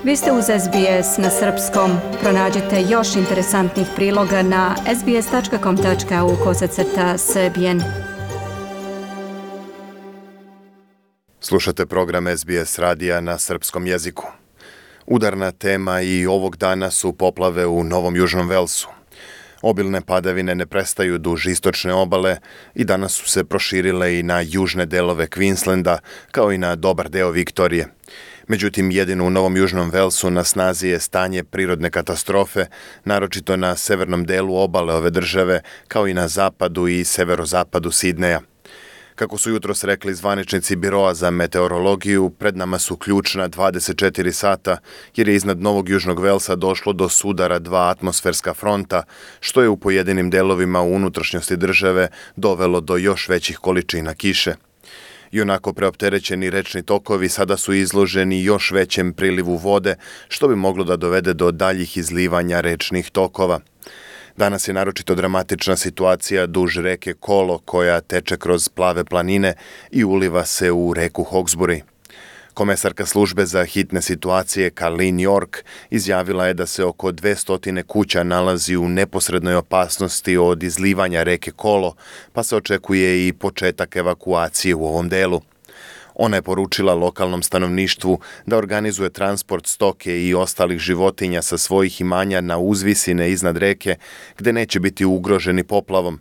Vi ste uz SBS na srpskom. Pronađite još interesantnih priloga na sbs.com.au/srbijen. Slušate program SBS radija na srpskom jeziku. Udarna tema i ovog dana su poplave u Novom Južnom Velsu. Obilne padavine ne prestaju duž istočne obale i danas su se proširile i na južne delove Queenslanda, kao i na dobar deo Viktorije. Međutim, jedino u Novom Južnom Velsu na snazi je stanje prirodne katastrofe, naročito na severnom delu obale ove države, kao i na zapadu i severozapadu Sidneja. Kako su jutros rekli zvaničnici Biroa za meteorologiju, pred nama su ključna 24 sata, jer je iznad Novog Južnog Velsa došlo do sudara dva atmosferska fronta, što je u pojedinim delovima u unutrašnjosti države dovelo do još većih količina kiše. I onako preopterećeni rečni tokovi sada su izloženi još većem prilivu vode, što bi moglo da dovede do daljih izlivanja rečnih tokova. Danas je naročito dramatična situacija duž reke Kolo, koja teče kroz plave planine i uliva se u reku Hawkesbury. Komesarka službe za hitne situacije Carleen York izjavila je da se oko 200 kuća nalazi u neposrednoj opasnosti od izlivanja reke Kolo, pa se očekuje i početak evakuacije u ovom delu. Ona je poručila lokalnom stanovništvu da organizuje transport stoke i ostalih životinja sa svojih imanja na uzvisine iznad reke, gde neće biti ugroženi poplavom.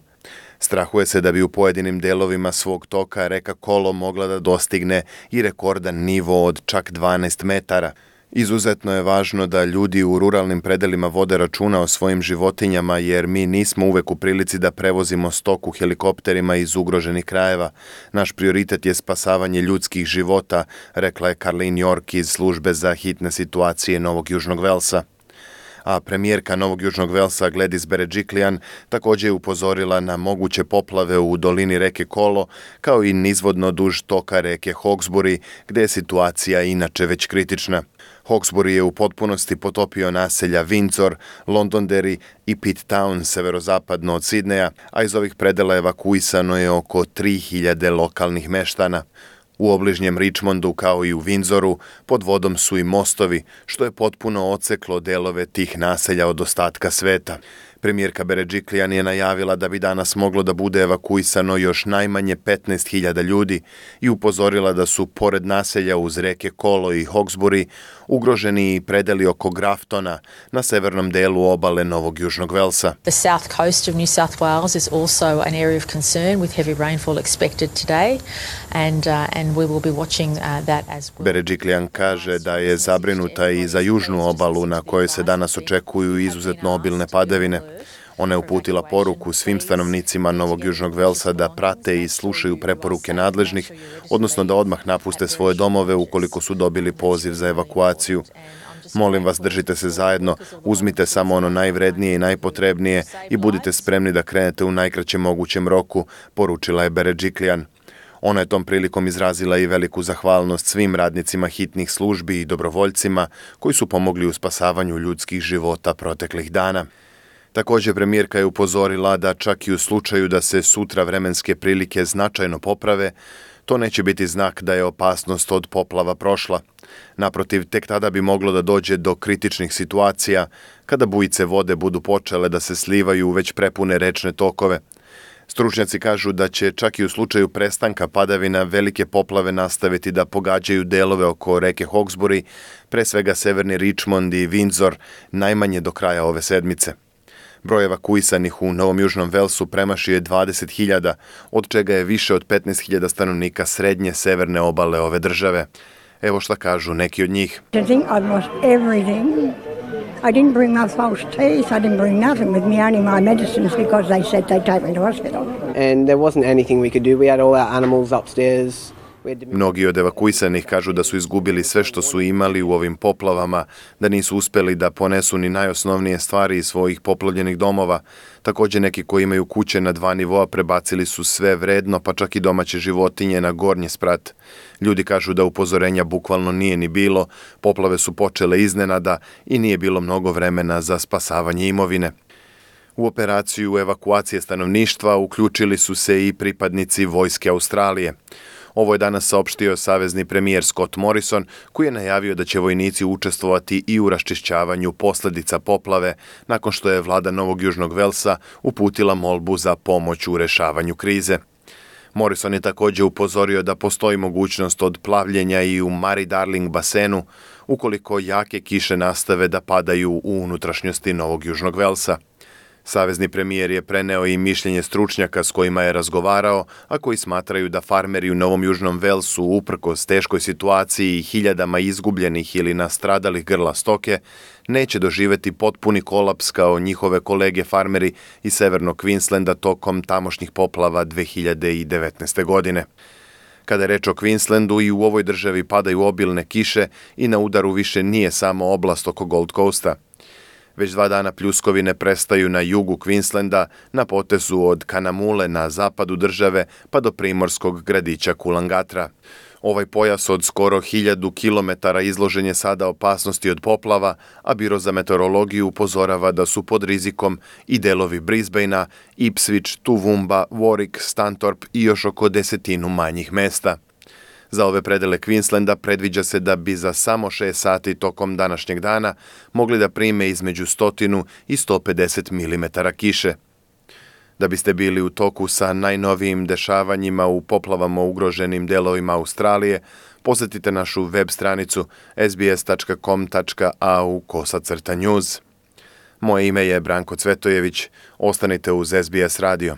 Strahuje se da bi u pojedinim delovima svog toka reka Kolo mogla da dostigne i rekordan nivo od čak 12 metara. Izuzetno je važno da ljudi u ruralnim predelima vode računa o svojim životinjama, jer mi nismo uvek u prilici da prevozimo stoku helikopterima iz ugroženih krajeva. Naš prioritet je spasavanje ljudskih života, rekla je Carleen York iz službe za hitne situacije Novog Južnog Velsa. A premijerka Novog Južnog Velsa Gladys Berejiklian također je upozorila na moguće poplave u dolini reke Kolo, kao i nizvodno duž toka reke Hawkesbury, gde je situacija inače već kritična. Hawkesbury je u potpunosti potopio naselja Windsor, Londonderry i Pitt Town severozapadno od Sidneja, a iz ovih predela evakuisano je oko 3000 lokalnih meštana. U obližnjem Richmondu, kao i u Windsoru, pod vodom su i mostovi, što je potpuno odseklo delove tih naselja od ostatka sveta. Premijerka Berejiklian je najavila da bi danas moglo da bude evakuisano još najmanje 15.000 ljudi i upozorila da su pored naselja uz reke Kolo i Hawkesbury ugroženi i predeli oko Graftona na severnom delu obale Novog Južnog Velsa. The south coast of New South Wales is also an area of concern with heavy rainfall expected today and we will be watching that as well. Berejiklian kaže da je zabrinuta i za južnu obalu na kojoj se danas očekuju izuzetno obilne padavine. Ona je uputila poruku svim stanovnicima Novog Južnog Velsa da prate i slušaju preporuke nadležnih, odnosno da odmah napuste svoje domove ukoliko su dobili poziv za evakuaciju. Molim vas, držite se zajedno, uzmite samo ono najvrednije i najpotrebnije i budite spremni da krenete u najkraćem mogućem roku, poručila je Berejiklian. Ona je tom prilikom izrazila i veliku zahvalnost svim radnicima hitnih službi i dobrovoljcima koji su pomogli u spasavanju ljudskih života proteklih dana. Također premijerka je upozorila da čak i u slučaju da se sutra vremenske prilike značajno poprave, to neće biti znak da je opasnost od poplava prošla. Naprotiv, tek tada bi moglo da dođe do kritičnih situacija kada bujice vode budu počele da se slivaju u već prepune rečne tokove. Stručnjaci kažu da će čak i u slučaju prestanka padavina velike poplave nastaviti da pogađaju delove oko reke Hawkesbury, pre svega severni Richmond i Windsor, najmanje do kraja ove sedmice. Broj evakuisanih u Novom Južnom Velsu premašio je 20.000, od čega je više od 15.000 stanovnika srednje severne obale ove države. Evo šta kažu neki od njih. I think I've lost everything. I didn't bring my false teeth. I didn't bring nothing with me, only my medicines because they said they'd take me to hospital. And there wasn't anything we could do. We had all our animals upstairs. Mnogi od evakuisanih kažu da su izgubili sve što su imali u ovim poplavama, da nisu uspeli da ponesu ni najosnovnije stvari iz svojih poplavljenih domova. Također neki koji imaju kuće na 2 nivoa prebacili su sve vredno, pa čak i domaće životinje na gornji sprat. Ljudi kažu da upozorenja bukvalno nije ni bilo, poplave su počele iznenada i nije bilo mnogo vremena za spasavanje imovine. U operaciju evakuacije stanovništva uključili su se i pripadnici Vojske Australije. Ovo je danas saopštio savezni premijer Scott Morrison, koji je najavio da će vojnici učestvovati i u raščišćavanju posljedica poplave, nakon što je vlada Novog Južnog Velsa uputila molbu za pomoć u rešavanju krize. Morrison je također upozorio da postoji mogućnost odplavljenja i u Murray-Darling basenu ukoliko jake kiše nastave da padaju u unutrašnjosti Novog Južnog Velsa. Savezni premijer je preneo i mišljenje stručnjaka s kojima je razgovarao, a koji smatraju da farmeri u Novom Južnom Velsu, uprkos teškoj situaciji i hiljadama izgubljenih ili nastradalih grla stoke, neće doživjeti potpuni kolaps kao njihove kolege farmeri iz severnog Queenslanda tokom tamošnjih poplava 2019. godine. Kada je reč o Queenslandu, i u ovoj državi padaju obilne kiše i na udaru više nije samo oblast oko Gold Coasta. Već 2 dana pljuskovine prestaju na jugu Queenslanda, na potezu od Kanamule na zapadu države pa do primorskog gradića Coolangatta. Ovaj pojas od skoro 1000 kilometara izložen je sada opasnosti od poplava, a Biro za meteorologiju upozorava da su pod rizikom i delovi Brisbanea, Ipswich, Toowoomba, Warwick, Stanthorpe i još oko 10 manjih mesta. Za ove predele Queenslanda predviđa se da bi za samo 6 sati tokom današnjeg dana mogli da prime između 100 i 150 mm kiše. Da biste bili u toku sa najnovijim dešavanjima u poplavama ugroženim delovima Australije, posjetite našu web stranicu sbs.com.au/news. Moje ime je Branko Cvetojević. Ostanite uz SBS radio.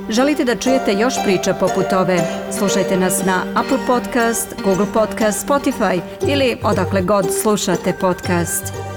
Želite da čujete još priča poput ove? Slušajte nas na Apple Podcast, Google Podcast, Spotify ili odakle god slušate podcast.